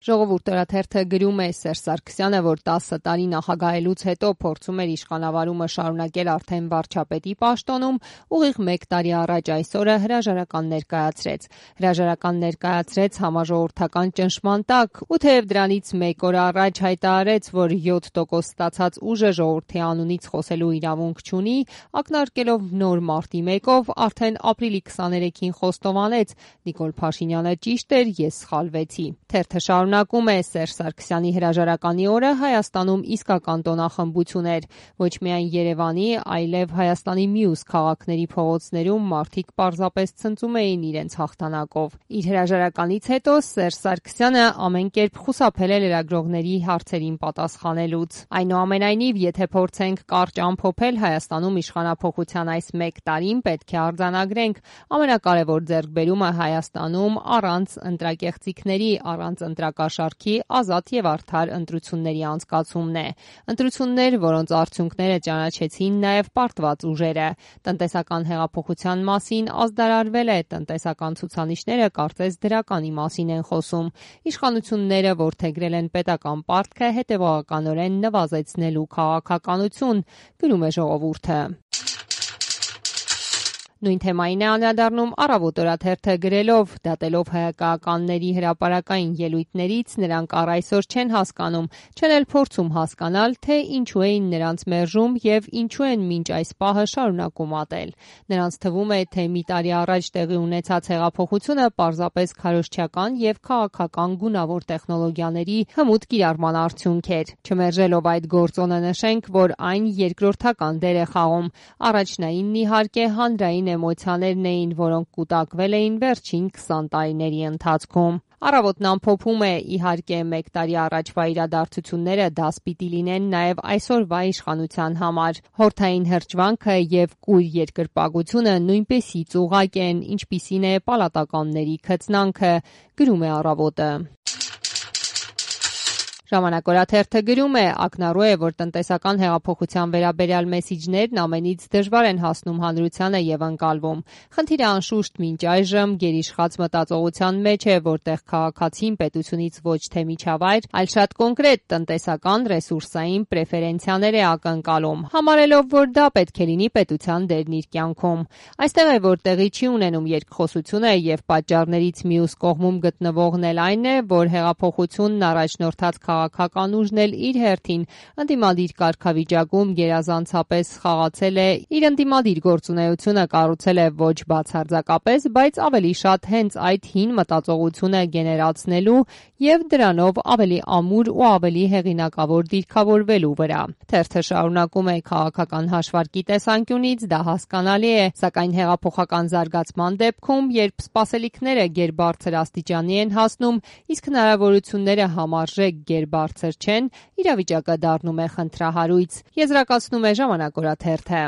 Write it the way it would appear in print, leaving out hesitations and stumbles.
Ժողովուրդ օրաթերթը գրում է Սերժ Սարգսյանը, որ 10 տարի նախագահելուց հետո փորձում էր իշխանավարումը շարունակել արդեն վարչապետի պաշտոնում, ուղիղ 1 տարի առաջ այս օրը հրաժարական ներկայացրեց։ Հրաժարական ներկայացրեց համաժողովրդական ճնշման տակ, ու թեև դրանից 1 օր առաջ հայտարարեց, որ 7% ստացած ուժը ժողովրդի անունից խոսելու իրավունք չունի, ակնարկելով նոր մարտի 1-ով արդեն ապրիլի 23-ին խոստովանեց. Նիկոլ Փաշինյանը ճիշտ էր, ես սխալվեցի։ Թերթը շարունակում է. Սերժ Սարգսյանի հրաժարականի օրը Հայաստանում իսկական տոնախմբություն էր։ Ոչ միայն Երևանի, այլև Հայաստանի մյուս քաղաքների փողոցներում մարդիկ պարզապես ցնծում էին իրենց հաղթանակով։ Իր հրաժարականից հետո Սերժ Սարգսյանը ամեն կերպ խուսափել է լրագրողների հարցերին պատասխանելուց։ Այնուամենայնիվ, եթե փորձենք կարճ ամփոփել Հայաստանում իշխանափոխության այս 1 տարին, պետք է արձանագրենք ամենակարևոր ձեռքբերումը Հայաստանում առանց ընտրակեղծիքների, առանց ընտրակաշառքի ազատ եւ արդար ընտրությունների անցկացումն է։ Ընտրություններ, որոնց արդյունքները ճանաչեցին նաեւ պարտված ուժերը։ Տնտեսական հեղափոխության մասին ազդարարվել է, տնտեսական ցուցանիշները կարծես դրականի մասին են խոսում։ Իշխանությունները որդեգրել են պետական պարտքը հետևողականորեն նվազեցնելու քաղաքականություն, գրում է Ժողովուրդը։ Նույն թեմային է անդրադառնում Առավոտ օրաթերթը գրելով. դատելով հայկականների հրապարակային ելույթներից, նրանք առ այսօր չեն հասկանում, չեն էլ փորձում հասկանալ, թե ինչու էին նրանց մերժում եւ ինչու են մինչ այս պահը շարունակում ատել։ Նրանց թվում է, թե մի տարի առաջ տեղի ունեցած հեղափոխությունը պարզապես քարոզչական եւ քաղաքական գունավոր տեխնոլոգիաների հմուտ կիրառման արդյունք էր։ Չմերժելով այդ գործոնը, նշենք, որ այն երկրորդական դեր է խաղում։ Առաջնայինն իհարկե հանրային էմոցիաներն էին, որոնք կուտակվել էին վերջին 20 տարիների ընթացքում։ Առավոտն ամփոփում է. իհարկե 1 տարի առաջվա իրադարձությունները դաս պիտի լինեն նաև այսօրվա իշխանության համար։ Հորթային հրճվանքը եւ կույր երկրպագությունը նույնպիսի ծուղակ են, ինչպիսին է պալատականների քծնանքը, գրում է Առավոտը։ Ժամանակ օրաթերթը գրում է. ակնառու է, որ տնտեսական հեղափոխության վերաբերյալ մեսիջներն ամենից դժվար են հասնում հանրությանը եւ ընկալվում։ Խնդիրը անշուշտ մինչ այժմ գերիշխած մտածողության մեջ է, որտեղ քաղաքացին պետությունից ոչ թե միջավայր, այլ շատ կոնկրետ տնտեսական ռեսուրսային պրեֆերենցիաներ է ակնկալում, համարելով, որ դա պետք է լինի պետության դերն իր կյանքում։ Այստեղ է, որ տեղի չի ունենում երկխոսությունը եւ պատճառներից մյուս կողմում գտնվողն էլ այն է, որ հեղափոխությունն առաջնորդած քաղաքական ուժն էլ իր հերթին ընդդիմադիր կարգավիճակում գերազանցապես խաղացել է, իր ընդդիմադիր գործունեությունը կառուցել է ոչ բացարձակապես, բայց ավելի շատ հենց այդ հին մտածողությունը գեներացնելու եւ դրանով ավելի ամուր ու ավելի հեղինակավոր դիրքավորվելու վրա։ Թերթը շարունակում է. քաղաքական հաշվարկի տեսանկյունից դա հասկանալի է, սակայն հեղափոխական զարգացման դեպքում, երբ սպասելիքները գերբարձր աստիճանի են հասնում, իսկ հնարավորությունները համարժեք գերբարձր չեն, իրավիճակը դառնում է խնդրահարույց, եզրակացնում է Ժամանակ օրաթերթը։